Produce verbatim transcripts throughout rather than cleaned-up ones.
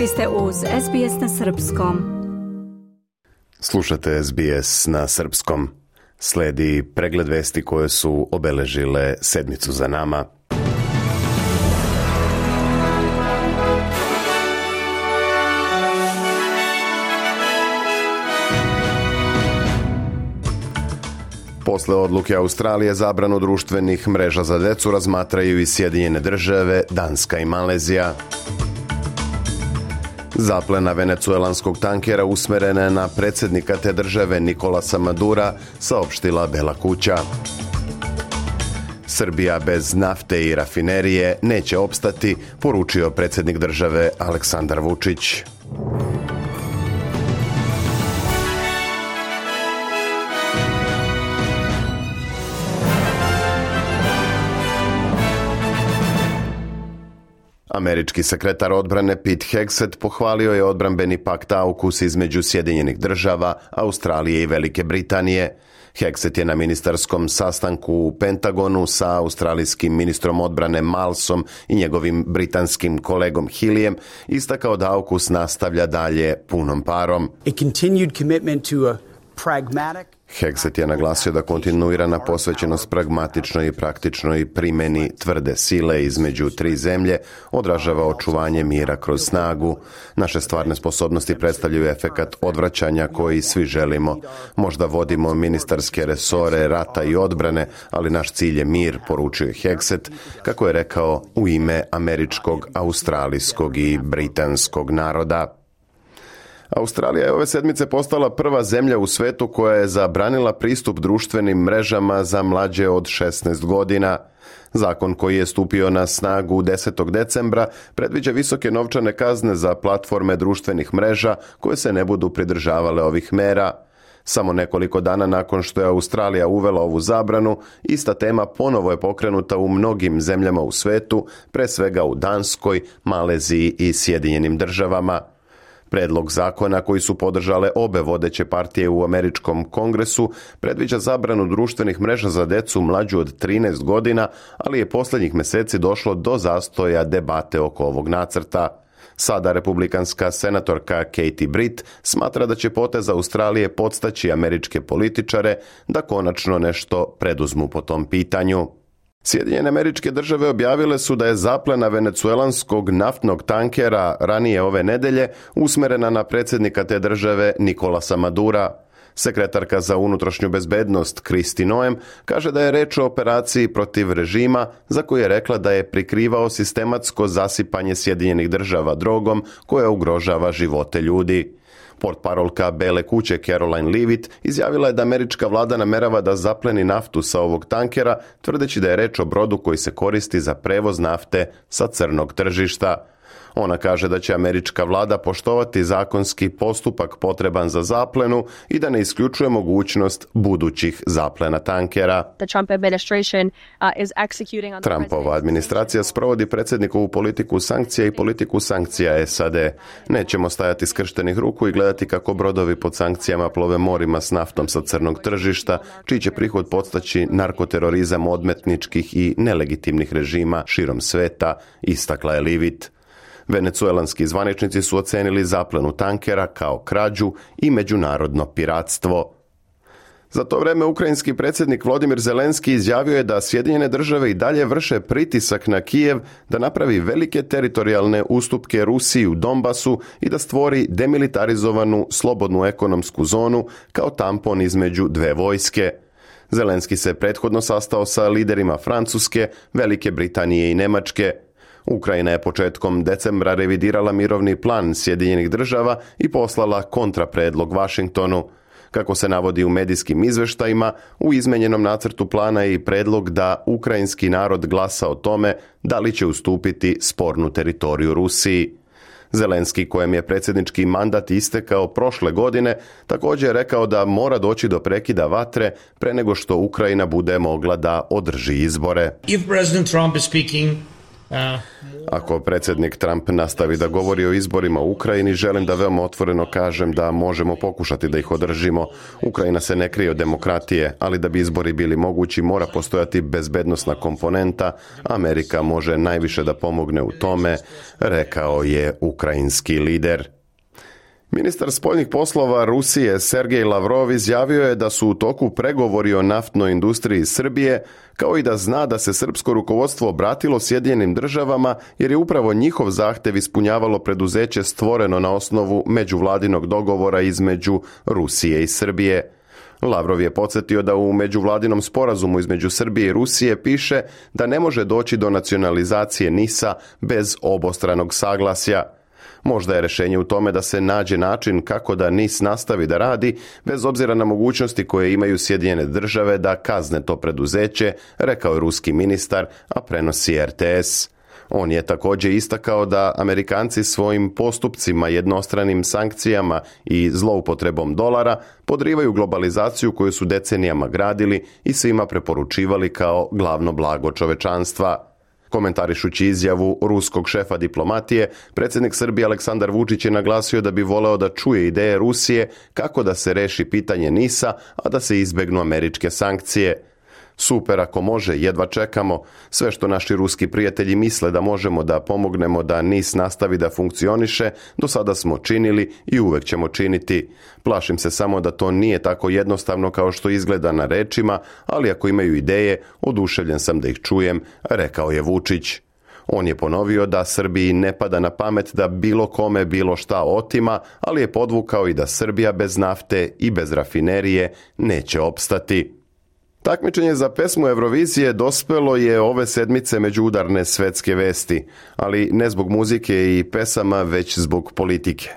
Vi ste uz S B S na srpskom. Slušate S B S na srpskom. Sledi pregled vesti koje su obeležile sedmicu za nama. Posle odluke Australije zabranu društvenih mreža za decu razmatraju i Sjedinjene Države, Danska i Malezija. Zaplena venecuelanskog tankera usmerena je na predsjednika te države Nicolasa Madura, saopštila Bela kuća. Srbija bez nafte i rafinerije neće opstati, poručio predsjednik države Aleksandar Vučić. Američki sekretar odbrane Pete Hegseth pohvalio je odbrambeni pakt AUKUS između Sjedinjenih Država, Australije i Velike Britanije. Hegseth je na ministarskom sastanku u Pentagonu sa australijskim ministrom odbrane Malsom i njegovim britanskim kolegom Hillijem istakao da AUKUS nastavlja dalje punom parom. A continued commitment to a pragmatic Hegseth je naglasio da kontinuirana posvećenost pragmatičnoj i praktičnoj primjeni tvrde sile između tri zemlje odražava očuvanje mira kroz snagu. Naše stvarne sposobnosti predstavljaju efekat odvraćanja koji svi želimo. Možda vodimo ministarske resore rata i odbrane, ali naš cilj je mir, poručio je Hegseth, kako je rekao u ime američkog, australijskog i britanskog naroda. Australija je ove sedmice postala prva zemlja u svetu koja je zabranila pristup društvenim mrežama za mlađe od šesnaest godina. Zakon koji je stupio na snagu desetog decembra predviđa visoke novčane kazne za platforme društvenih mreža koje se ne budu pridržavale ovih mera. Samo nekoliko dana nakon što je Australija uvela ovu zabranu, ista tema ponovo je pokrenuta u mnogim zemljama u svetu, pre svega u Danskoj, Maleziji i Sjedinjenim Državama. Predlog zakona koji su podržale obe vodeće partije u američkom kongresu predviđa zabranu društvenih mreža za decu mlađu od trinaest godina, ali je posljednjih mjeseci došlo do zastoja debate oko ovog nacrta. Sada republikanska senatorka Katie Britt smatra da će potez Australije podstaći američke političare da konačno nešto preduzmu po tom pitanju. Sjedinjene Američke Države objavile su da je zaplena venecuelanskog naftnog tankera ranije ove nedelje usmjerena na predsjednika te države Nicolasa Madura. Sekretarka za unutrašnju bezbednost Kristi Noem kaže da je reč o operaciji protiv režima za koju je rekla da je prikrivao sistematsko zasipanje Sjedinjenih Država drogom koja ugrožava živote ljudi. Portparolka Bele kuće Caroline Leavitt izjavila je da američka vlada namerava da zapleni naftu sa ovog tankera, tvrdeći da je reč o brodu koji se koristi za prevoz nafte sa crnog tržišta. Ona kaže da će američka vlada poštovati zakonski postupak potreban za zaplenu i da ne isključuje mogućnost budućih zaplena tankera. Trumpova administracija sprovodi predsjednikovu politiku sankcija i politiku sankcija S A D. Nećemo stajati skrštenih ruku i gledati kako brodovi pod sankcijama plove morima s naftom sa crnog tržišta, čiji će prihod podstaći narkoterorizam odmetničkih i nelegitimnih režima širom sveta, istakla je Leavitt. Venecuelanski zvaničnici su ocenili zaplenu tankera kao krađu i međunarodno piratstvo. Za to vrijeme ukrajinski predsjednik Volodymyr Zelenski izjavio je da Sjedinjene Države i dalje vrše pritisak na Kijev da napravi velike teritorijalne ustupke Rusiji u Donbasu i da stvori demilitarizovanu slobodnu ekonomsku zonu kao tampon između dve vojske. Zelenski se prethodno sastao sa liderima Francuske, Velike Britanije i Njemačke. Ukrajina je početkom decembra revidirala mirovni plan Sjedinjenih Država i poslala kontrapredlog Vašingtonu. Kako se navodi u medijskim izveštajima, u izmenjenom nacrtu plana je i predlog da ukrajinski narod glasa o tome da li će ustupiti spornu teritoriju Rusiji. Zelenski, kojem je predsjednički mandat istekao prošle godine, također je rekao da mora doći do prekida vatre pre nego što Ukrajina bude mogla da održi izbore. If President Trump is speaking Ako predsjednik Trump nastavi da govori o izborima u Ukrajini, želim da veoma otvoreno kažem da možemo pokušati da ih održimo. Ukrajina se ne krije od demokratije, ali da bi izbori bili mogući mora postojati bezbednosna komponenta. Amerika može najviše da pomogne u tome, rekao je ukrajinski lider. Ministar spoljnih poslova Rusije Sergej Lavrov izjavio je da su u toku pregovori o naftnoj industriji Srbije, kao i da zna da se srpsko rukovodstvo obratilo Sjedinjenim državama jer je upravo njihov zahtev ispunjavalo preduzeće stvoreno na osnovu međuvladinog dogovora između Rusije i Srbije. Lavrov je podsjetio da u međuvladinom sporazumu između Srbije i Rusije piše da ne može doći do nacionalizacije NIS-a bez obostranog saglasja. Možda je rješenje u tome da se nađe način kako da NIS nastavi da radi, bez obzira na mogućnosti koje imaju Sjedinjene države da kazne to preduzeće, rekao je ruski ministar, a prenosi R T S. On je također istakao da Amerikanci svojim postupcima, jednostranim sankcijama i zloupotrebom dolara podrivaju globalizaciju koju su decenijama gradili i svima preporučivali kao glavno blago čovečanstva. Komentarišući izjavu ruskog šefa diplomatije, predsjednik Srbije Aleksandar Vučić je naglasio da bi voleo da čuje ideje Rusije kako da se reši pitanje NIS-a, a da se izbegnu američke sankcije. Super, ako može, jedva čekamo. Sve što naši ruski prijatelji misle da možemo da pomognemo da NIS nastavi da funkcioniše, do sada smo činili i uvek ćemo činiti. Plašim se samo da to nije tako jednostavno kao što izgleda na rečima, ali ako imaju ideje, oduševljen sam da ih čujem, rekao je Vučić. On je ponovio da Srbiji ne pada na pamet da bilo kome bilo šta otima, ali je podvukao i da Srbija bez nafte i bez rafinerije neće opstati. Takmičenje za pesmu Eurovizije dospelo je ove sedmice među udarne svetske vesti, ali ne zbog muzike i pesama, već zbog politike.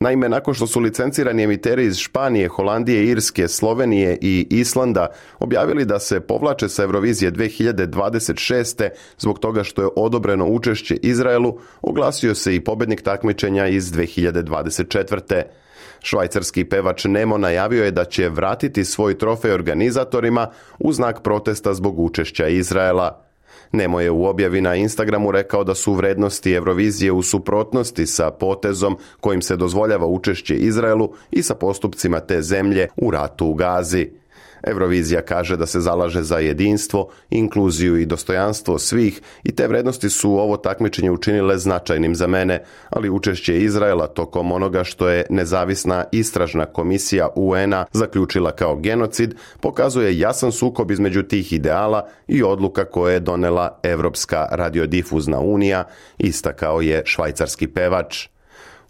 Naime, nakon što su licencirani emiteri iz Španije, Holandije, Irske, Slovenije i Islanda objavili da se povlače sa Eurovizije dve hiljade dvadeset šeste zbog toga što je odobreno učešće Izraelu, oglasio se i pobednik takmičenja iz dve hiljade dvadeset četvrte. Švajcarski pevač Nemo najavio je da će vratiti svoj trofej organizatorima u znak protesta zbog učešća Izraela. Nemo je u objavi na Instagramu rekao da su vrednosti Eurovizije u suprotnosti sa potezom kojim se dozvoljava učešće Izraelu i sa postupcima te zemlje u ratu u Gazi. Eurovizija kaže da se zalaže za jedinstvo, inkluziju i dostojanstvo svih i te vrednosti su ovo takmičenje učinile značajnim za mene, ali učešće Izraela tokom onoga što je nezavisna istražna komisija U N-a zaključila kao genocid pokazuje jasan sukob između tih ideala i odluka koje je donela Evropska radiodifuzna unija, istakao je švajcarski pevač.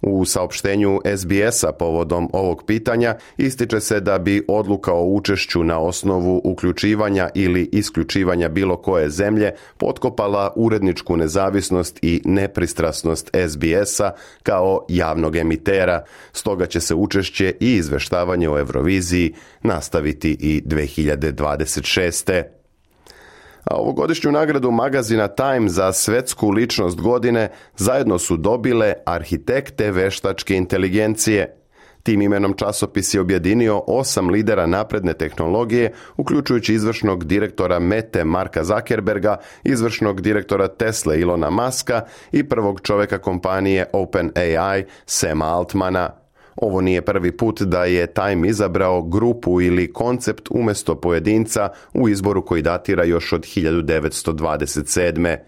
U saopštenju S B S-a povodom ovog pitanja ističe se da bi odluka o učešću na osnovu uključivanja ili isključivanja bilo koje zemlje potkopala uredničku nezavisnost i nepristrasnost S B S-a kao javnog emitera, stoga će se učešće i izveštavanje o Euroviziji nastaviti i dve hiljade dvadeset šeste. A ovogodišnju nagradu magazina Time za svetsku ličnost godine zajedno su dobile arhitekte veštačke inteligencije. Tim imenom časopis je objedinio osam lidera napredne tehnologije, uključujući izvršnog direktora Mete Marka Zuckerberga, izvršnog direktora Tesla Ilona Muska i prvog čoveka kompanije OpenAI Sama Altmana. Ovo nije prvi put da je Time izabrao grupu ili koncept umjesto pojedinca u izboru koji datira još od hiljadu devetsto dvadeset sedme.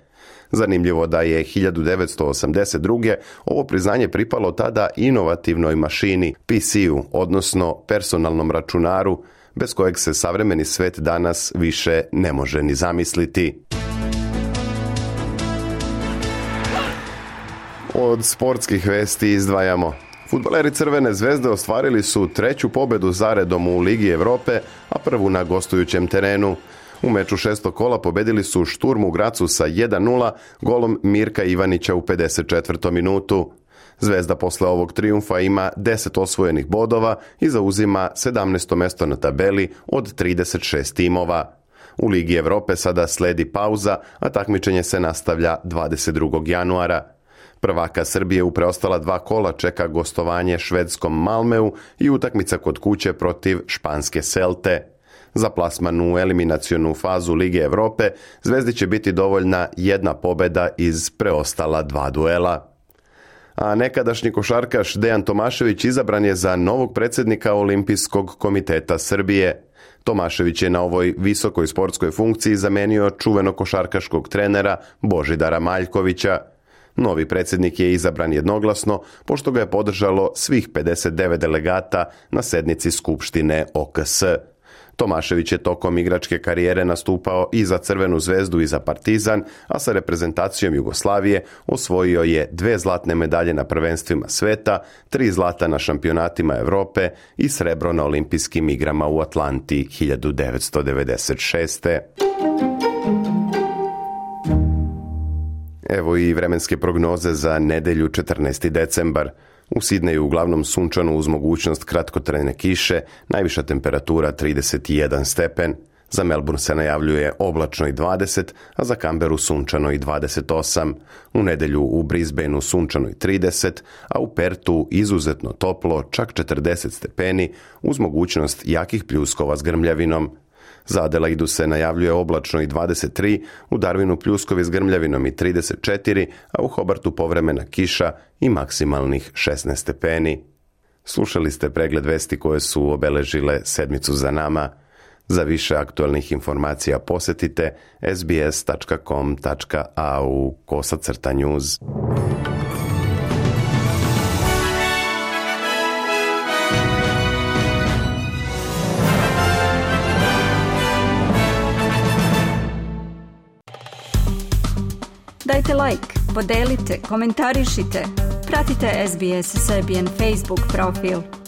Zanimljivo da je hiljadu devetsto osamdeset druge ovo priznanje pripalo tada inovativnoj mašini, P C-u, odnosno personalnom računaru, bez kojeg se savremeni svet danas više ne može ni zamisliti. Od sportskih vesti izdvajamo. Fudbaleri Crvene zvezde ostvarili su treću pobedu zaredom u Ligi Evrope, a prvu na gostujućem terenu. U meču šestog kola pobedili su Šturm u Gracu sa jedan nula golom Mirka Ivanića u pedeset četvrtom minutu. Zvezda posle ovog trijumfa ima deset osvojenih bodova i zauzima sedamnaesto mesto na tabeli od trideset šest timova. U Ligi Evrope sada sledi pauza, a takmičenje se nastavlja dvadeset drugog januara. Prvaka Srbije u preostala dva kola čeka gostovanje švedskom Malmeu i utakmica kod kuće protiv španske Celte. Za plasman u eliminacionu fazu Lige Europe Zvezdi će biti dovoljna jedna pobjeda iz preostala dva duela. A nekadašnji košarkaš Dejan Tomašević izabran je za novog predsjednika Olimpijskog komiteta Srbije. Tomašević je na ovoj visokoj sportskoj funkciji zamenio čuvenog košarkaškog trenera Božidara Maljkovića. Novi predsjednik je izabran jednoglasno, pošto ga je podržalo svih pedeset devet delegata na sednici Skupštine O K S. Tomašević je tokom igračke karijere nastupao i za Crvenu zvezdu i za Partizan, a sa reprezentacijom Jugoslavije osvojio je dve zlatne medalje na prvenstvima sveta, tri zlata na šampionatima Europe i srebro na olimpijskim igrama u Atlanti hiljadu devetsto devedeset šeste. Evo i vremenske prognoze za nedelju četrnaesti decembar. U Sidneju uglavnom sunčano uz mogućnost kratkotrajne kiše, najviša temperatura trideset jedan stepen. Za Melbourne se najavljuje oblačno i dvadeset, a za Canberru sunčano i dvadeset osam. U nedelju u Brisbaneu sunčano i trideset, a u Pertu izuzetno toplo, čak četrdeset stepeni, uz mogućnost jakih pljuskova s grmljavinom. Za Adelaidu se najavljuje oblačno i dvadeset tri, u Darwinu pljuskovi s grmljavinom i trideset četiri, a u Hobartu povremena kiša i maksimalnih šesnaest stepeni. Slušali ste pregled vesti koje su obeležile sedmicu za nama. Za više aktualnih informacija posjetite sbs tačka com tačka a u kosacrta news. Dajte like, podelite, komentarišite. Pratite S B S Serbian Facebook profil.